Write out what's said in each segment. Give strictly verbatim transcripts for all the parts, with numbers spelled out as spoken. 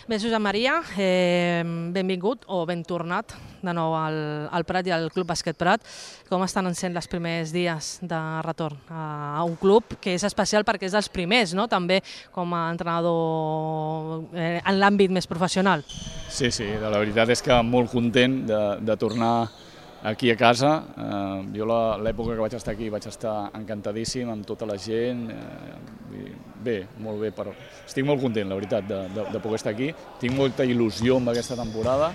Bé, Josep Maria, eh, benvingut o ben tornat de nou al, al Prat i al Club Bàsquet Prat. Com estan sent els primers dies de retorn a, a un club que és especial perquè és dels primers, no? També com a entrenador eh, en l'àmbit més professional? Sí, sí, la veritat és que molt content de, de tornar aquí a casa. Eh, jo l'època que vaig estar aquí vaig estar encantadíssim amb tota la gent. Eh, bé, molt bé, però estic molt content, la veritat, de, de, de poder estar aquí. Tinc molta il·lusió amb aquesta temporada.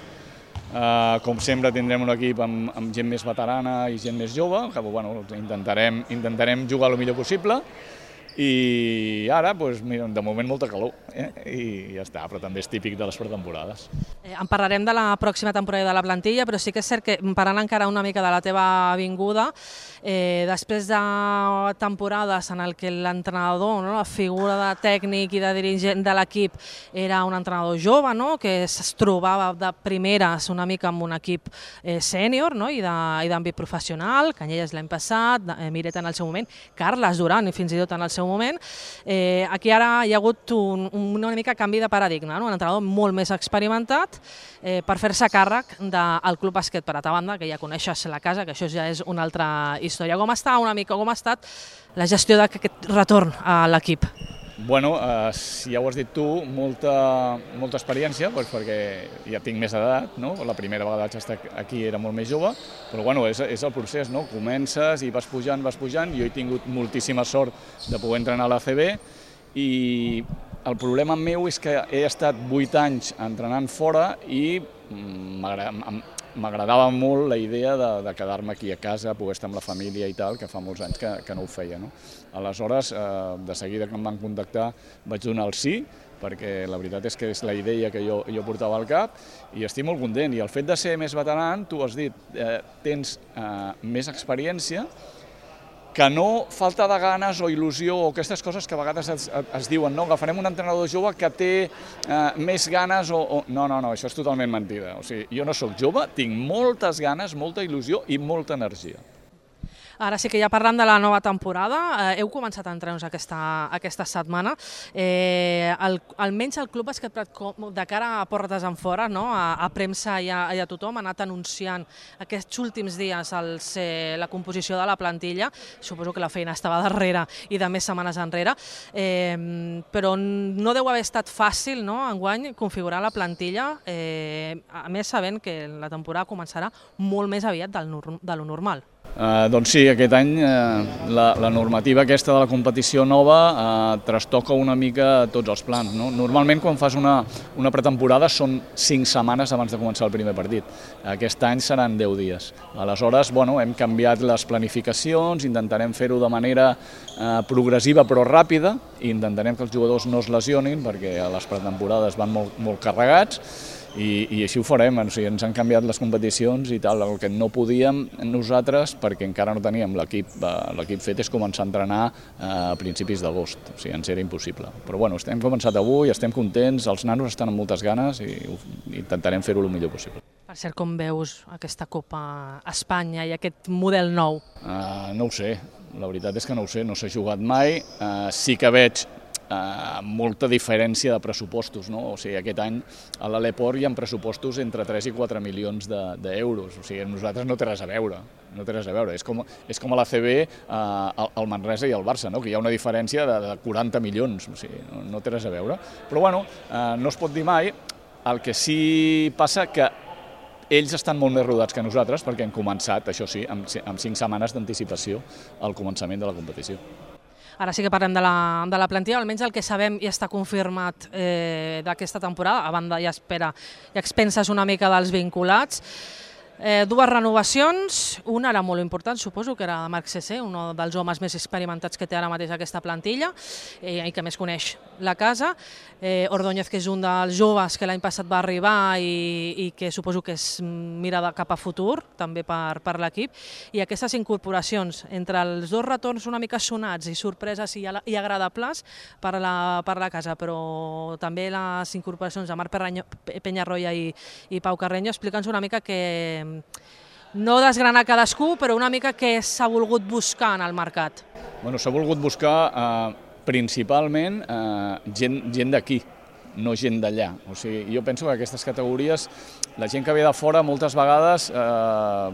Eh, com sempre tindrem un equip amb, amb gent més veterana i gent més jove, que bueno, intentarem, intentarem jugar el millor possible. I ara, doncs, mira, de moment molta calor, eh? I ja està, però també és típic de les pretemporades. Eh, en parlarem de la pròxima temporada de la plantilla, però sí que és cert que parlant encara una mica de la teva vinguda, eh, després de temporades en el que l'entrenador, no, la figura de tècnic i de dirigent de l'equip era un entrenador jove, no, que es trobava de primeres una mica amb un equip eh, sènior, no, i d'àmbit professional, Canyelles l'any passat, eh, Miret en el seu moment, Carles Duran i fins i tot en el seu moment. Eh, aquí ara hi ha hagut un, una mica canvi de paradigma, no? Un entrenador molt més experimentat eh, per fer-se càrrec del Club Bàsquet Prat, a banda que ja coneixes la casa, que això ja és una altra història. Com està una mica, com ha estat la gestió d'aquest retorn a l'equip? Bueno, eh, ja ho has dit tu, molta, molta experiència, doncs perquè ja tinc més edat, no? La primera vegada que vaig estar aquí era molt més jove, però bueno, és, és el procés, no? Comences i vas pujant, vas pujant. Jo he tingut moltíssima sort de poder entrenar a l'A C B i el problema meu és que he estat vuit anys entrenant fora i m'agradava molt la idea de, de quedar-me aquí a casa, poder estar amb la família i tal, que fa molts anys que, que no ho feia, no? Aleshores, eh, de seguida que em van contactar vaig donar el sí, perquè la veritat és que és la idea que jo, jo portava al cap i estic molt content. I el fet de ser més veteran, tu has dit, eh, tens eh, més experiència, que no falta de ganes o il·lusió o aquestes coses que a vegades es, es diuen, no, agafarem un entrenador jove que té eh, més ganes o, o... No, no, no, això és totalment mentida. O sigui, jo no sóc jove, tinc moltes ganes, molta il·lusió i molta energia. Ara sí que ja parlant de la nova temporada, eh, heu començat a entrenar aquesta, aquesta setmana. Eh, el, almenys el Club Bàsquet Prat, de cara a portes en fora, no? a, a premsa i a, i a tothom, ha anat anunciant aquests últims dies els, eh, la composició de la plantilla. Suposo que la feina estava darrere i de més setmanes enrere, eh, però no deu haver estat fàcil, no? Enguany configurar la plantilla, eh, a més sabent que la temporada començarà molt més aviat del, de lo normal. Uh, doncs sí, aquest any uh, la, la normativa aquesta de la competició nova uh, trastoca una mica tots els plans, no? Normalment quan fas una, una pretemporada són cinc setmanes abans de començar el primer partit. Aquest any seran deu dies. Aleshores, bueno, hem canviat les planificacions, intentarem fer-ho de manera uh, progressiva però ràpida i intentarem que els jugadors no es lesionin perquè a les pretemporades van molt, molt carregats. I, i així ho farem, o sigui, ens han canviat les competicions i tal, el que no podíem nosaltres, perquè encara no teníem l'equip l'equip fet, és començar a entrenar a principis d'agost, o sigui, ens era impossible. Però bueno, hem començat avui, estem contents, els nanos estan amb moltes ganes i intentarem fer-ho el millor possible. Per cert, com veus aquesta Copa a Espanya i aquest model nou? Uh, no ho sé, la veritat és que no ho sé, no s'ha jugat mai, uh, sí que veig Uh, molta diferència de pressupostos, no? O sigui, aquest any a l'Aleport hi ha pressupostos entre tres i quatre milions d'euros, o sigui, nosaltres no té res a veure, no té res a veure, és com, és com a l'A C B, uh, el Manresa i el Barça, no? Que hi ha una diferència de, de quaranta milions, o sigui, no, no té res a veure, però bueno, uh, no es pot dir mai, el que sí passa que ells estan molt més rodats que nosaltres perquè han començat, això sí, amb, amb cinc setmanes d'anticipació al començament de la competició. Ara sí que parlem de la, de la plantilla, almenys el que sabem i està confirmat eh, d'aquesta temporada, a banda ja espera i expenses una mica dels vinculats. Eh, dues renovacions, una era molt important, suposo que era de Marc Cessé, un dels homes més experimentats que té ara mateix aquesta plantilla eh, i que més coneix la casa. Eh, Ordóñez, que és un dels joves que l'any passat va arribar i, i que suposo que es mira de cap a futur, també per, per l'equip. I aquestes incorporacions, entre els dos retorns una mica sonats i sorpreses i, i agradables per la, per la casa, però també les incorporacions de Marc Peñarroya i, i Pau Carreño, explica'ns una mica que no desgranar cadascú, però una mica què s'ha volgut buscar en el mercat. Bueno, s'ha volgut buscar eh, principalment eh, gent, gent d'aquí, no gent d'allà. O sigui, jo penso que aquestes categories, la gent que ve de fora moltes vegades eh,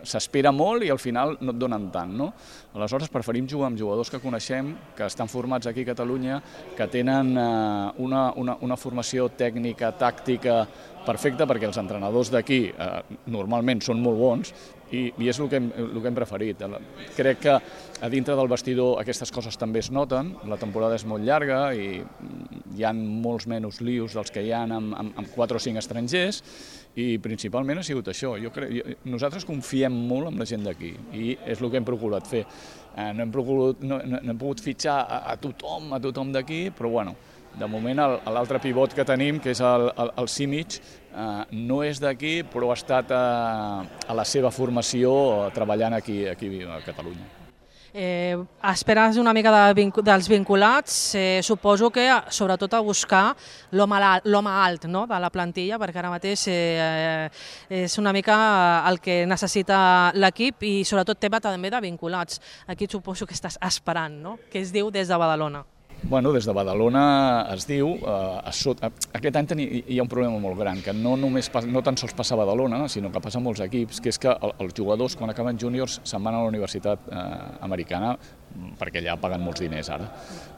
s'espera molt i al final no et donen tant, no? Aleshores preferim jugar amb jugadors que coneixem, que estan formats aquí a Catalunya, que tenen eh, una, una, una formació tècnica, tàctica perfecta, perquè els entrenadors d'aquí eh, normalment són molt bons i, i és el que, hem, el que hem preferit. Crec que a dintre del vestidor aquestes coses també es noten, la temporada és molt llarga i hi ha molts menys lius dels que hi ha amb, amb, amb quatre o cinc estrangers i principalment ha sigut això. Jo crec, jo, nosaltres confiem molt en la gent d'aquí i és el que hem procurat fer. Eh, no, hem procurat, no, no, no hem pogut fitxar a, a tothom, a tothom d'aquí, però bueno, de moment l'altre pivot que tenim, que és el, el, el Simic, eh, no és d'aquí, però ha estat a, a la seva formació treballant aquí, aquí a Catalunya. Eh, esperes una mica de, dels vinculats, eh, suposo que sobretot a buscar l'home alt, no?, de la plantilla, perquè ara mateix eh, és una mica el que necessita l'equip i sobretot tema també de vinculats. Aquí suposo que estàs esperant, no?, que es diu des de Badalona. Bueno, des de Badalona es diu, eh, a sota, aquest any teni, hi ha un problema molt gran, que no, només, no tan sols passa a Badalona, sinó que passa a molts equips, que és que els jugadors, quan acaben júniors, se'n van a la universitat eh, americana, perquè allà paguen molts diners ara.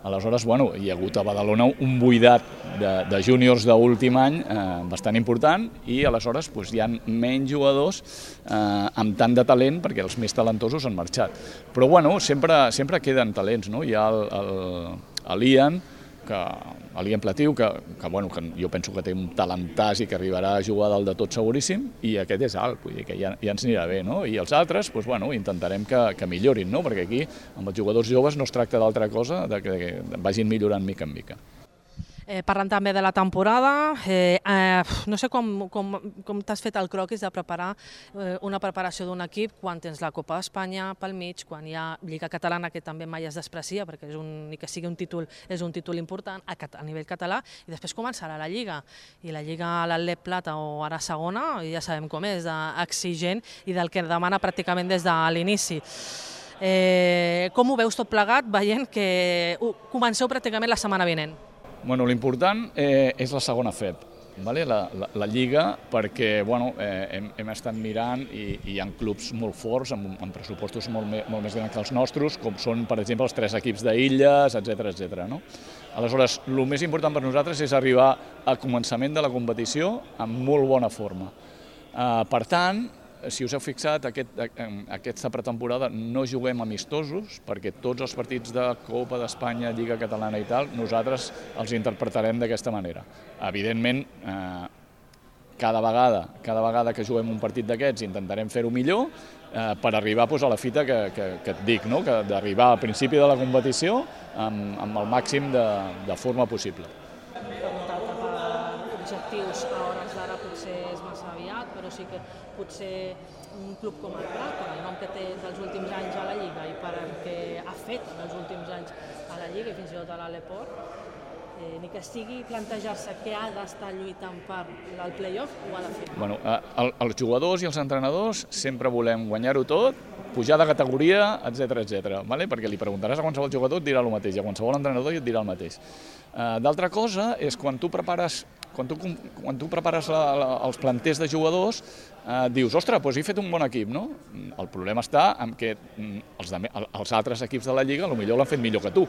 Aleshores, bueno, hi ha hagut a Badalona un buidat de, de júniors d'últim any eh, bastant important i aleshores doncs, hi ha menys jugadors eh, amb tant de talent perquè els més talentosos han marxat. Però bueno, sempre, sempre queden talents, no? Hi ha el, el, l'Ian, que l'Ian Platiu, que, que, bueno, que jo penso que té un talentàs i que arribarà a jugar dalt de tot seguríssim, i aquest és alt, vull dir que ja, ja ens anirà bé, no? I els altres, doncs, bueno, intentarem que, que millorin, no? Perquè aquí, amb els jugadors joves, no es tracta d'altra cosa, de que, que vagin millorant mica en mica. Eh, parlant també de la temporada, eh, eh, no sé com, com, com t'has fet el croquis de preparar eh, una preparació d'un equip quan tens la Copa d'Espanya pel mig, quan hi ha Lliga Catalana, que també mai es desprecia, perquè és un, ni que sigui un títol, és un títol important a, a nivell català, i després començarà la Lliga. I la Lliga, l'Atlètic Plata o ara segona, ja sabem com és, exigent i del que demana pràcticament des de l'inici. Eh, com ho veus tot plegat, veient que uh, comenceu pràcticament la setmana vinent? Bueno, l'important eh, és la segona F E P, vale? la, la, la Lliga, perquè bueno, eh, hem, hem estat mirant i, i hi ha clubs molt forts, amb, amb pressupostos molt, me, molt més grans que els nostres, com són, per exemple, els tres equips d'Illes, etcètera, etcètera, no? Aleshores, el més important per nosaltres és arribar al començament de la competició amb molt bona forma. Eh, per tant, si us heu fixat, aquest, aquesta pretemporada no juguem amistosos, perquè tots els partits de Copa d'Espanya, Lliga Catalana i tal, nosaltres els interpretarem d'aquesta manera. Evidentment, eh, cada vegada, cada vegada que juguem un partit d'aquests intentarem fer-ho millor eh, per arribar doncs, a la fita que, que, que et dic, no? Que d'arribar al principi de la competició amb, amb el màxim de, de forma possible. Objectius a hores d'ara potser és massa aviat, però sí que potser un club com el Prat, per el nom que té dels últims anys a la Lliga i per el que ha fet en els últims anys a la Lliga i fins i tot a l'Aleport, eh, ni que sigui plantejar-se que ha d'estar lluitant per el play-off, ho ha de fer. Bueno, el, els jugadors i els entrenadors sempre volem guanyar-ho tot, pujar de categoria, etcètera, etcètera, vale? Perquè li preguntaràs a qualsevol jugador et dirà el mateix, a qualsevol entrenador et dirà el mateix. Uh, D'altra cosa és quan tu prepares Quan tu, quan tu prepares la, la, els planters de jugadors, eh, dius, ostres, doncs he fet un bon equip, no? El problema està en que els, de, els altres equips de la Lliga potser l'han fet millor que tu.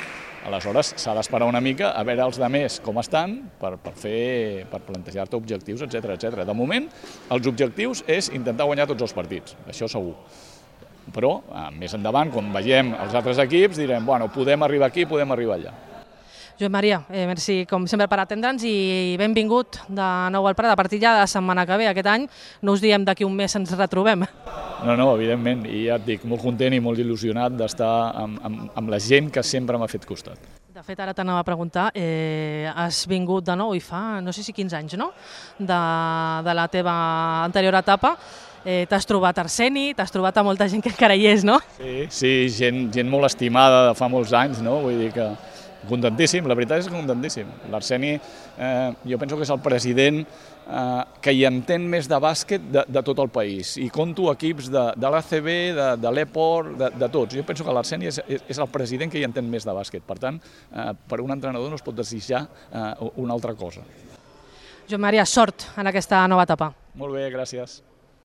Aleshores, s'ha d'esperar una mica a veure els demés com estan per, per, fer, per plantejar-te objectius, etcètera, etcètera. De moment, els objectius és intentar guanyar tots els partits, això segur. Però, eh, més endavant, quan vegem els altres equips, direm, bueno, podem arribar aquí, podem arribar allà. Josep Maria, eh, merci com sempre per atendre'ns i benvingut de nou al Prat. A partir ja de la setmana que ve, aquest any, no us diem d'aquí un mes ens retrobem. No, no, evidentment, i ja et dic, molt content i molt il·lusionat d'estar amb, amb, amb la gent que sempre m'ha fet costat. De fet, ara t'anava a preguntar, eh, has vingut de nou i fa, no sé si quinze anys, no?, de, de la teva anterior etapa. Eh, t'has trobat Arseni, t'has trobat a molta gent que encara hi és, no? Sí, sí, gent, gent molt estimada de fa molts anys, no? Vull dir que Contentíssim, la veritat és que contentíssim. L'Arseni, eh, jo penso que és el president eh, que hi entén més de bàsquet de, de tot el país. I conto equips de, de l'A C B, de, de l'Eport, de, de tots. Jo penso que l'Arseni és, és el president que hi entén més de bàsquet. Per tant, eh, per un entrenador no es pot desitjar eh, una altra cosa. Joan Maria, sort en aquesta nova etapa. Molt bé, gràcies.